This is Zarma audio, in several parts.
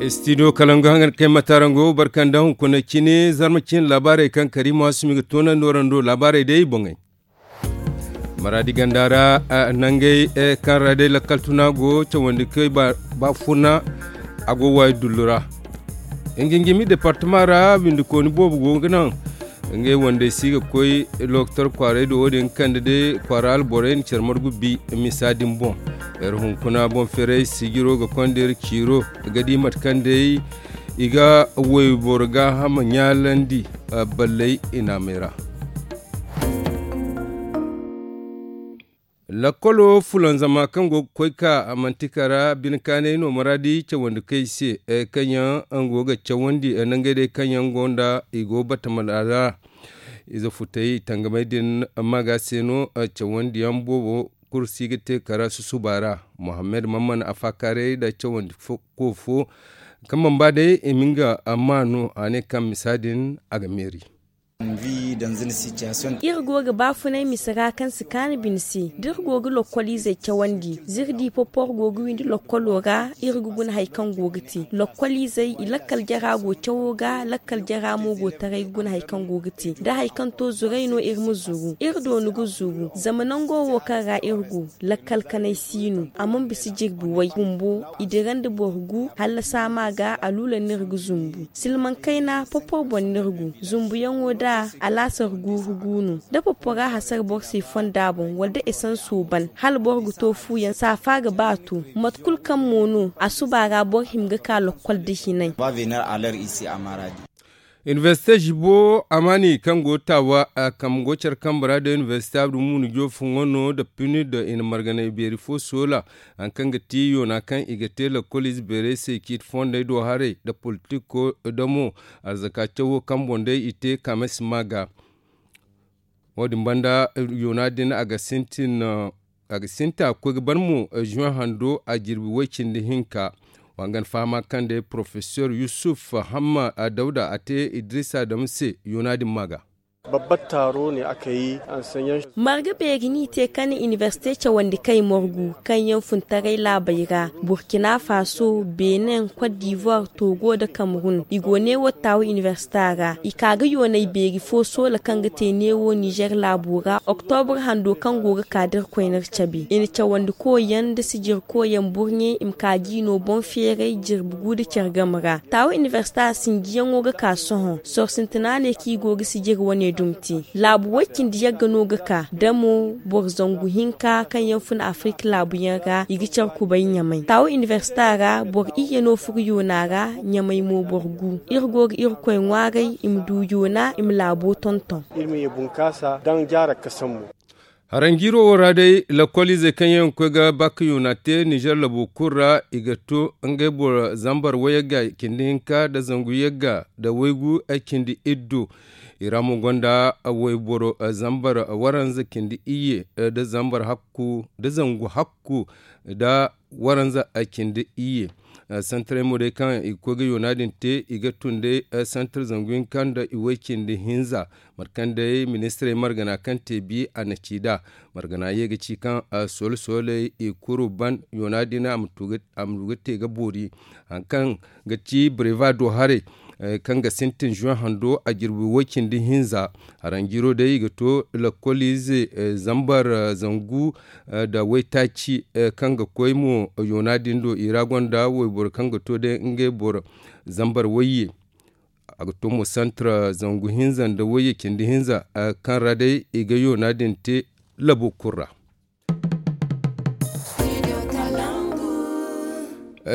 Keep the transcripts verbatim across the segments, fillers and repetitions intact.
Studio kalangu hangan kay mataarango barkanda hunkuna cine zarma cine laabaarey kaŋ kariima sumi ga toonandi warando laabaarey day boŋey. Maraadi ganda ra nangey kaŋ ra day lakkal tuna go cawandi kay baafuna. A go waayi dullu ra. Nginjimi departama ra windikooni boobo go ga naŋ ngey wandey si ga koy lokotor kwaaray do wo- din kande day kwaara alborey na care margu bi misa din boŋ. Iri hunkuna boŋ feeray sijiro ga konda iri ciiro ga di mate kaŋ day i ga wayboro gaahama ɲaalandi balley i naamey ra. Lakkolo fulanzama kaŋ go ga koy ka manti kara bine kaanay no maraadi cawandi kay se kaŋ yaŋ go ga cawandi nangey day kaŋ yaŋ go nda i go batamala ra. Ize futay tangamey din maaga se no cawandiyaŋ boobo kulu si ga te kara susuba ra. Muhammad mamman a faakaaray nda cawandi ko fo kaŋ mana ba day i ma nga maa no a ne kaŋ misa din a ga meeri. Iri go ga baafunay mise ra kaŋ si kaanu bine se da iri go ga lokkoliizey cawandi za iri di popor go ga windi lokkolo ra iri ga guna hari kaŋ go ga te lokkoliizey i lakkal jara go cawo ga lakkal jara mo go taray ga guna hari kaŋ go ga te da hari kaŋ to zuray no iri ma zuru iri doonu ga zuru zama nango wo kaŋ ra iri go lakkal kanay si no a mana bisa jirbi way bumbo i dira nda boro gu hala saama ga aluula no iri ga zumbu silmaŋ kayna popor boŋ no iri gu zumbuyaŋo da alaasar guuru gu no da popora hasara boro se fonda boŋ wala da esanso ban hala boro ga to fuuyaŋ saafa ga ba to mate kulu kaŋ mo no a suba ra boro hima ga ka lokkol da hinay. Inibersite zibo amaani kaŋ go taawa kambe go care kambe ra nda inibersite abdu munu joofuŋo no nda puni nda i na marganay beeri fo soola hari kaŋ ga ti yoona kaŋ i ga te lakkol ize beerey se ciiti fondey do haray nda politiko damo arzaka cawo kaŋ boŋ day i te kaamay si ma ga. Wo- din banda yoona din a ga sintin a ga sintin a ga koy ga ban mo zuwe hando a jirbi way- cindi hinka. Wa ga ni fahama kaŋ day porofesor yusuf hamma dawda a te idrisa dam se yoona din ma ga. Babbar taaro ne aka yi. Marga beeri n'i te ka ne inibersite cawandi kay morgu kaŋ yaŋ funtaray laabey ra burkina faso benin kot divoir togo nda kamerun i go neewo taawa inibersita ra i ka ga yoonay beeri fo soola kaŋ ga te neewo nizer laabo ra oktobur hando kaŋ go ga ka da iri koyne iri cabe i na cawandi koy yaŋ nda sijir koy yaŋ burɲe i ma ka ga i no boŋ feeray jirbi gu nda care game ra taawa inibersita sinjiyaŋo ga ka sohõ soro sintina ne kaŋ i go ga sijir wane dumi te laabu way- cindi yagga no ga ka damo boro zangu hinka kaŋ yaŋ fun afirika laabu yaŋ ra i ga care kubay ɲamay taawa inibersita ra boro iyye no furo yoona ra ɲamay mo boro gu iri go ga irkoy ŋwaaray i ma du yoona i ma laabo tonton. Iri ma ye bunkaasa daŋ jaara kasambu. Haranjiiro wo ra day lakkoliizey kaŋ yaŋ ga koy ga bakka yoona te nizer labo kulu ra i ga to ngey boro zambar wayagga cindi hinka nda zangu yagga nda waygu cindi iddu. I ra mo gonda wayboro zambar waranza cindi iyye nda zangu hakku nda waranza cindi iyye. Santarey mo day kaŋ i ga koy ga yoona din te i ga tun day santar zangu hinka nda i way- cindi hinza. Mate kaŋ day ministirey margana kaŋ te bi a na ci nd'a margana ye ga ci kaŋ soole sooley i kuru ban yoona din a ma du ga te ga boori hari kaŋ ga ci breva do haray kaŋ ga sintin zuwe hando a jirbi way- cindi hinza. Haranjiiro day i ga to lakkoliize zambar zangu nda waytaaci kaŋ ga koy mo yoona din do i ra gonda wayboro kaŋ ga to day ngey boro zambar wayye. A ga to mo santar zangu hinza nda wayye cindi hinza kaŋ ra day i ga yoona din te labo kulu ra.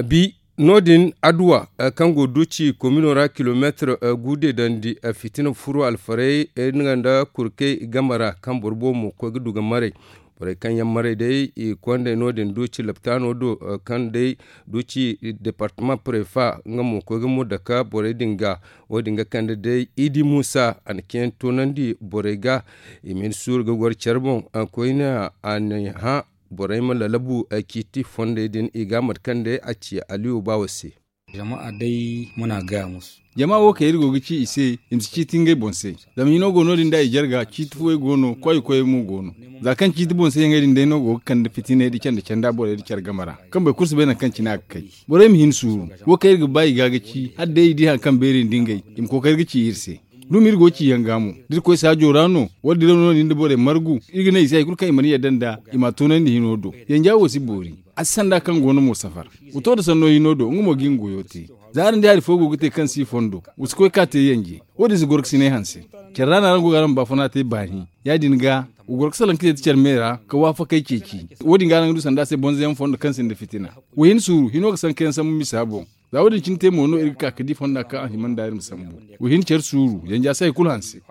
Bi no- din adduwa kaŋ go duuci komino ra kilomeetir gu deedandi fitina furo alfarey nga nda kurkey game ra kaŋ boro boobo mo ga koy ga du ga maray. Borey kaŋ yaŋ maray day i kondey no- din duuci laptaano do kaŋ day duuci departama prefa nga mo ga koy ga mo dake borey din ga. Wo- din ga kande day idi muusa a na ceeyaŋ toonandi borey ga i ma hin suuru ga goro care boŋ koyne a na hã borey ma lalabu ciiti fondey din i ga mate kaŋ day a ci aliyu baawo se. Jama a day muna gaya musu. Jama wo kaŋ iri go ga ci i se, i ma si ciiti ngey boŋ se. Zama hino go no- din da i jarga ciiti fooyaŋ go no koy koy mo go no. Za kaŋ ciiti boŋ se yaŋey din day no go ga kande fitiney da canda canda borey da care game ra, kaŋ boro kulu si bay nangu kaŋ cine a ga kay. Borey ma hin suuru. Wo kaŋ iri ga ba i ga ga ci hala day i di hari kaŋ beeri nda ngey, i ma kookari ga ci iri se. Dumi iri go ga ci yaŋ ga mo da iri koy saajo ra no, wala diraw no- din da borey margu, iri ga ne i se hari kulu kaŋ i mana yadda nd'a, i m'a toonandi hino do. Yanja wo si boori. A si sanda kaŋ go no mo safar. Wa to nda sanno hino do nga mo ga nga goyo te. Za araŋ di hari fo go ga te kaŋ si fondo, wa si koy ka te yanje. Wo- din si goro ga si ne hanse. Care ra no araŋ go ga araŋ baafuna te baani. Ya- din ga, wa goro ga salaŋ ka te da care me ra ka waafakey ceeci. Wo- din ga araŋ ga du sanda se bonzoyaŋ fondo kaŋ sinda fitina. Wa hin suuru hino ga sankayaŋ sambu misa boŋ. Za wo- din cine te mo no iri ga ka ga di fonda kaŋ a hima nda iri ma sambu. Wa hin care suuru yanja se hari kulu hanse.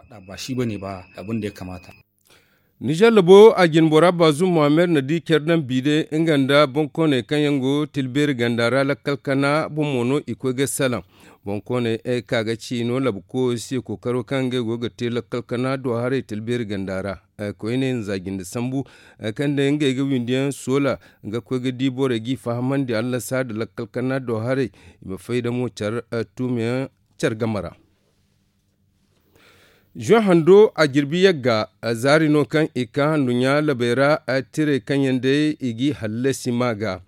Nizer labo a jine bora baazum muhammad na di care daŋ biide nga nda boŋkooney kaŋ yaŋ go tilbeeri ganda ra lakkal kana boŋ mo no i koy ga salaŋ. Boŋkooney ka ga ci no labko se kookaro kaŋ ngey go ga te lakkal kana do haray tilbeeri ganda ra. Koyne nza jinde sambu kaŋ day ngey ga windiyaŋ soola ga koy ga di borey g'i fahamandi allasa nda lakkal kana do haray i ma fay da mo care tuumiyaŋ care game ra. Zuwa hando a jirbi yagga zaari no kaŋ i ka handuɲɲa labey ra. Tirey kaŋ yaŋ day i g'i hallasi ma ga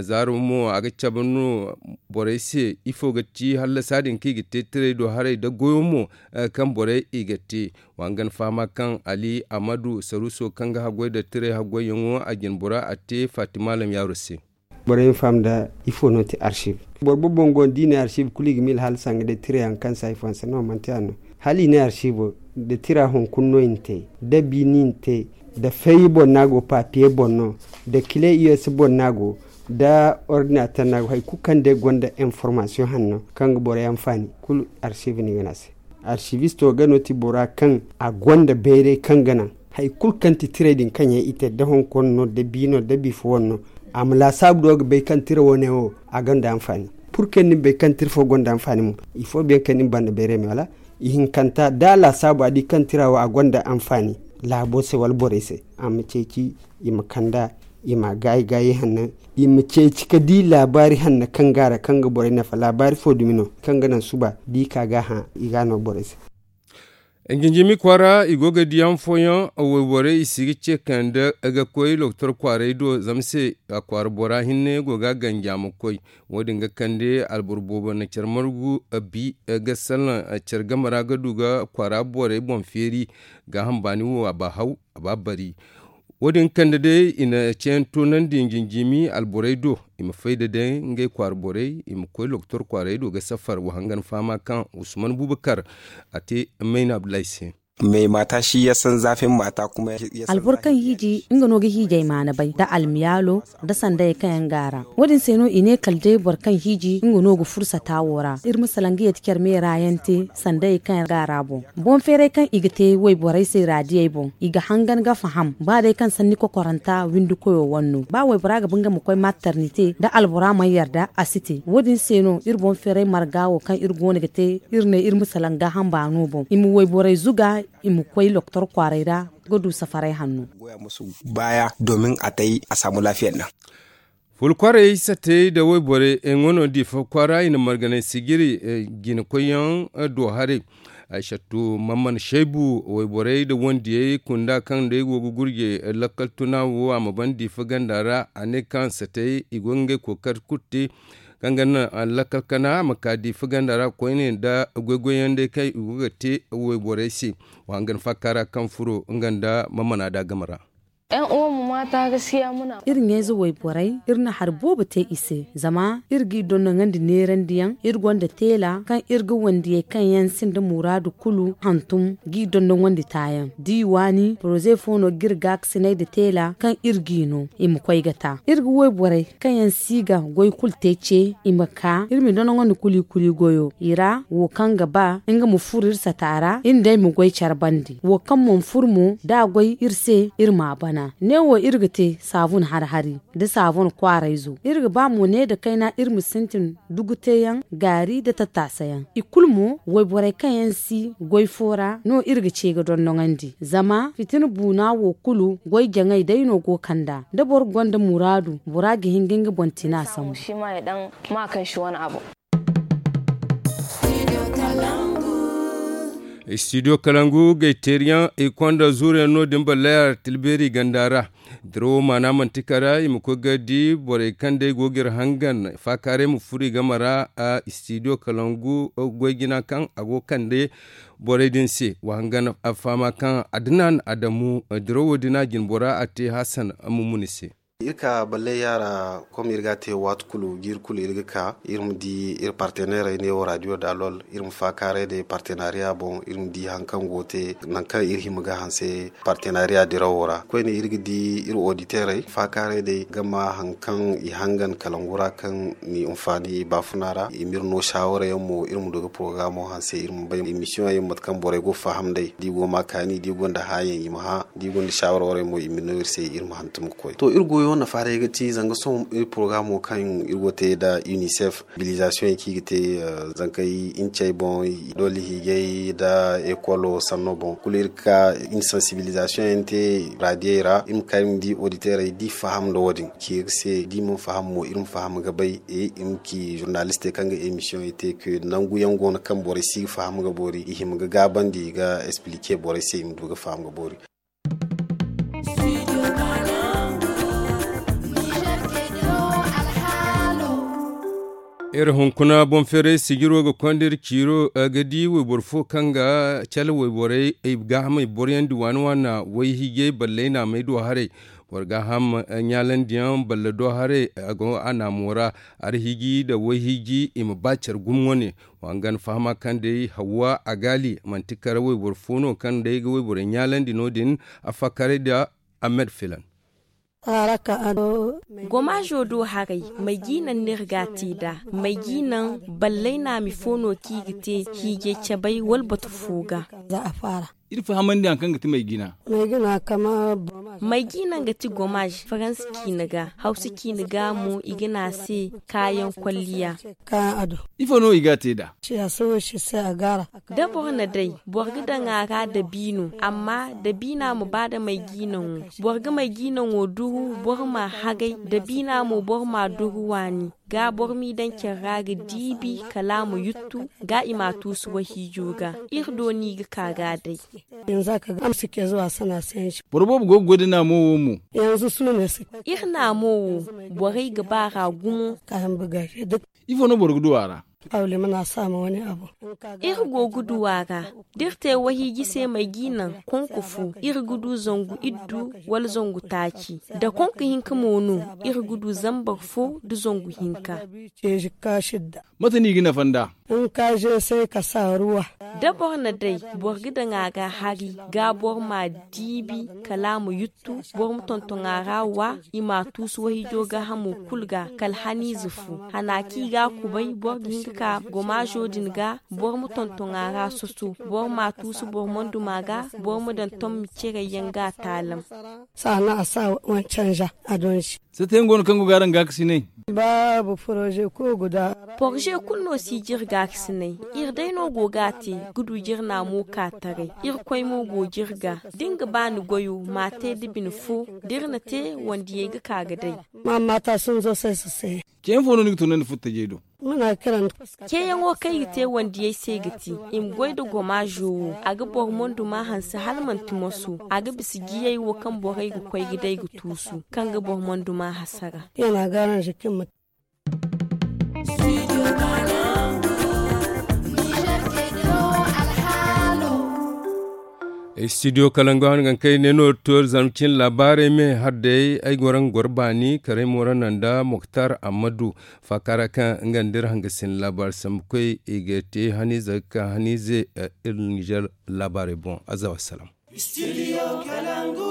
zaaro mo a ga cabe no borey se ifo ga ti hallasa din kaŋ i ga te tirey do haray nda goyo mo kaŋ borey i ga te. Wa hangan fahama kaŋ ali amadu saruso kaŋ ga haggoy nda tirey haggoyyaŋo a jine bora a te fatima lamyaaro se. Borey ma faham nda ifo no ti arsiv. Boro boobo boŋ go no da i ne arsiv kulu i ga miila hala sanga day tirayaŋ kaŋ se hari fooyaŋ se no manti yaadin no. Hala i ne arsivo nda tira hunkuna no i na te, nda bi no i na te, nda feeyi boŋ no a go papiye boŋ no, nda kile i s boŋ no a go, nda ordinater no a go hari kulu kaŋ day gonda informaasiyoŋ hanno kaŋ ga borey anfaani kulu arsiv no i ga ne a se. Arsivisto ga no ti bora kaŋ a gonda bayray kaŋ ga naŋ hari kulu kaŋ ti tirey din kaŋ yaŋ i te nda honkono no nda bi no nda bi fo wane no. A ma laasaabu do ga bay kaŋ tira wane wo a gonda anfaani. Purke ni ma bay kaŋ tira fo gonda anfaani mo. Ifo biyaŋ kaŋ ni ma banda bayray me wala ihinkanta da a laasaabu a di kaŋ tira wo a gonda anfaani laabo se wala borey se a ma ceeci i ma kand'a, i ma gaayi gaayi hanno, i ma ceeci ga di laabaari hanno kaŋ go a ra kaŋ ga borey nafa laabaari fo dumi no kaŋ ga naŋ suba da i ka ga a hã. I ga a no borey se. Jinjimi kwaara i go ga di yaŋ fooyaŋ wayborey i si ga ce kande ga koy lokotor kwaaray do zama se a kwaara bora hinne go ga a ganji a ma koy. Wo- din ga kande alboro boobo na care margu bi ga salaŋ care game ra ga du ga kwaara borey boŋ feeri. Gaaham baani wo a ba haw a ba bari. Wo- din kande day i na ceeyaŋ toonandi jinjimi alborey do i ma fay da day ngey kwaara borey i ma koy lokotor kwaaray do ga safar wa hangan fahama kaŋ usman bubakar a te mayna abdullahi se. Alboro kaŋ hiiji nga no ga hiijay maana bay nda almiyaalo nda sandayey kaŋ yaŋ go a ra. Wo- din se no i ne kala day boro kaŋ hiiji nga no ga fursata wo ra iri ma salaŋ ga yeti care meera yaŋ te sandayey kaŋ yaŋ go a ra boŋ. Boŋ feeray kaŋ i ga te wayborey se raadiyey boŋ i ga hangan ga faham ba day kaŋ sanni kokoranta windi koyo wane no ba waybora ga ba nga ma koy mattarnite nda albora mana yarda a si te. Wo- din se no iri boŋ feeray marga wo kaŋ iri go no ga te iri ne iri ma salaŋ gaaham baano boŋ i ma wayborey zuga i ma koy lokotor kwaaray ra ga du safaray hanno. Baaya domin a tay a saamu laafiya nda. Ful kwaarey satey nda wayborey nga no diifa kwaara i na marganay sijiri jina koyyaŋ do haray. Ay sattu mamman shaybu wayborey nda wandiyey kunda kaŋ day go ga gurje lakkal tuna wo a ma ban diifa ganda ra a ne kaŋ satey i go ga ngey kookari kulu te kaŋ ga naŋ lakkal kana a ma ka diifa ganda ra koyne nda goy-goyyaŋ day kaŋ i go ga te wayborey se. Wa hangan faaka ra kaŋ furo nga nda mamman a da game ra. Iri ɲayze wayborey iri na hari boobo te i se zama iri g'i dondoŋandi neerandiyaŋ iri gonda teela kaŋ iri ga wandiyey kaŋ yaŋ sinda muraadu kulu hantum g'i dondoŋandi taayaŋ da i waani poroze fo no ga iri gaakasinay nda teela kaŋ iri g'i no i ma koy ga ta iri ga wayborey kaŋ yaŋ si ga goy kulu te ce i ma ka iri ma dondoŋandi kuli kuli goyo i ra wo kaŋ ga ba nga ma furo iri sata ra iri nd'ey ma goy care bande wo kaŋ mana furo mo da a goy iri se iri m'a bana neewo iri ga te saabun hari-hari nda saabun kwaarayzo iri ga ba mo ne nda kayna iri ma sintin duguteyaŋ gaari nda tattaasayaŋ i kulu mo wayborey kaŋ yaŋ si goy fo ra no iri ga ce ga dondoŋandi zama fitina buuna wo kulu goy jaŋay day no go kand'a da boro gonda muraadu bora ga hin ga nga boŋ tina sambu. Ma kaŋ si wane abo. Istidiyo kalangu gayteeriyaŋ i konda zuuriyaŋ no- din ballay a ra tilbeeri ganda ra. Dirawo maana manti kara i ma koy ga di borey kaŋ day go ga iri hangan faakaaray ma furo i game ra. Istidiyo kalangu goy jina kaŋ a go ga kande borey din se wa hangan a fahama kaŋ adnan adamu dirawo din a jinbora a te hasan mumuni se. Iri ka ballay yaara kom iri ga a te waati kulu jiiri kulu iri ga ka iri ma di iri parteneerey neewo raadiyo daalol iri ma faakaaray day partenaariya boŋ iri ma di hari kaŋ go ga te nangu kaŋ iri hima ga hanse partenaariya dirawo ra koyne iri ga di iri oditeerey faakaaray day ga ma hari kaŋ i hangan kalangu ra kaŋ ni hinfaani i baafuna ra i ma iri no saawara yaŋ mo iri ma du ga porogaraamo hanse iri ma bay emisiyoŋ yaŋ mate kaŋ borey go ga faham day da i go ga ma kaani da i gonda hã yaŋ i ma hã da i gonda saawara warey mo i ma no iri se iri ma hantum ga koy to iri goyo nafa day ga ti zanga sohõ iri porogaraamo kaŋ iri go ga te nda unicef mobilizasiyoŋ yaŋ kaŋ i ga te zankey incey boŋ doole hiijay nda ekolo sanno boŋ kulu iri ga ka iri na sansibilizasiyoŋ yaŋ te raadiyey ra iri ma ka iri ma di oditeerey da i faham nda wo- din ci iri se da i mana faham mo iri ma faham ga bay iri ma ci zurnalistey kaŋ ga emisiyoŋey te ke nangu yaŋ go no kaŋ borey si ga faham ga boori i hima ga gaabandi ga esplike borey se i ma du ga faham ga boori. Iri hunkuna boŋ feeray sijiro ga konda iri ciiro ga di wayboro fo kaŋ ga cala wayborey ay gaahamey boroyaŋ di waana waana wayhiijay ballay naamey do haray. Boro gaaham ɲaalandiyaŋ balla do haray a go a naamo ra. Arhiiji nda wayhiiji i ma ba care gumo wane. Wa nga na fahama kaŋ day hawwa a gaali manti kara wayboro fo no kaŋ day ga wayborey ɲaalandi no- din a fakkaray nda ahmed filan. Gomaazo do haray may jiinaŋ no iri ga a te nd'a? May jiinaŋ ballay naami fo no kaŋ i ga te hiijay cabay wala batu fo ga? Iri fahamandi hari kaŋ ga ti may jiina. May jiinaŋ ga ti gomaaz faransa ciina ga hawsa ciina ga mo i ga ne a se kaayaŋ kolliya. Ifo no i ga a te nd'a? Da boro na day boro ga daŋ a ra dabiino amma dabiina ma ba nda may jiinaŋo. Boro ga may jiinaŋo duru boro m'a hagay dabiina mo boro m'a duru waani. Ga boro m'i daŋ care ra ga diibi kala a ma yuttu ga i m'a tuusu wahiijo ga. Iri do no i ga ka ga a day. Boro boobo go ga goy nda naamo wo mo. Iri naamo wo borey ga ba a ra gumo. Ifo no boro ga du a ra? Iri go ga du a ra da iri te wahiiji se may jiinaŋ konko fo iri ga du zangu iddu wala zangu taaci. Da konko hinka mo no iri ga du zambar fo nda zangu hinka. Mate no i ga nafa nd'a? Da boro na day boro ga daŋ a ga hari ga boro m'a diibi kala a ma yuttu boro ma tonton a ra wa i m'a tuusu wahiijo gaahamo kulu ga kala haniize fo hana kaŋ i ga a kubay boro ga hin ga ka gomaazo din ga. Boro ma tonton a ra soso boro m'a tuusu boro mana duma ga boro ma daŋ tommi cerey yaŋ ga a taalam. Sata yaŋ go no kaŋ go ga araŋ gaakasinay? Porze kulu no si jire gaakasinay. Iri day no go ga a te ga du jire naamo ka taray. Irkoy mo go jire ga da ni ga ba ni goyo m'a te da bine fo da iri na te wandiyey ga ka ga day. Ceeyaŋ fo no ni ga tunandi furtajey do? Ceeyaŋo kaŋ i ga te wandiyey se ga ti i ma goy nda gomaazo wo a ga boro monduma hanse hala manti moso. A ga bisa jiyey wo kaŋ borey ga koy ga day ga tuusu kaŋ ga boro monduma hasara. Studio kalangu hanga kaŋ ay ne no to zarma cine laabaarey me har day ay goro nga goro baani karay mooro nanda moktar ammadu. Faaka ra kaŋ nga nda iri hanga sinda laabaari sambu koy i ga te haniize ga ka haniize. Iri nizer laabaarey boŋ aza wassalam. Studio kalangu.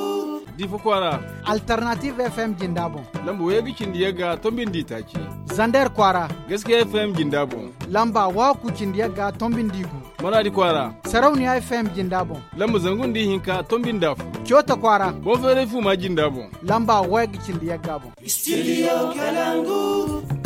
Difa kwaara. Alternative fm jinda boŋ. Lamba wayga cindi yagga tombindi taaci. Zander kwaara. Gaskiya fm jinda boŋ. Lamba waku cindi yagga tombindi gu. Maradi kwaara. Sarauniya fm jinda boŋ. Lamba zangu nda ihinka tombindi afo. Coota kwaara. Boŋ feeray fu ma jinda boŋ. Lamba wayga cindi yagga boŋ. Studio kalangu.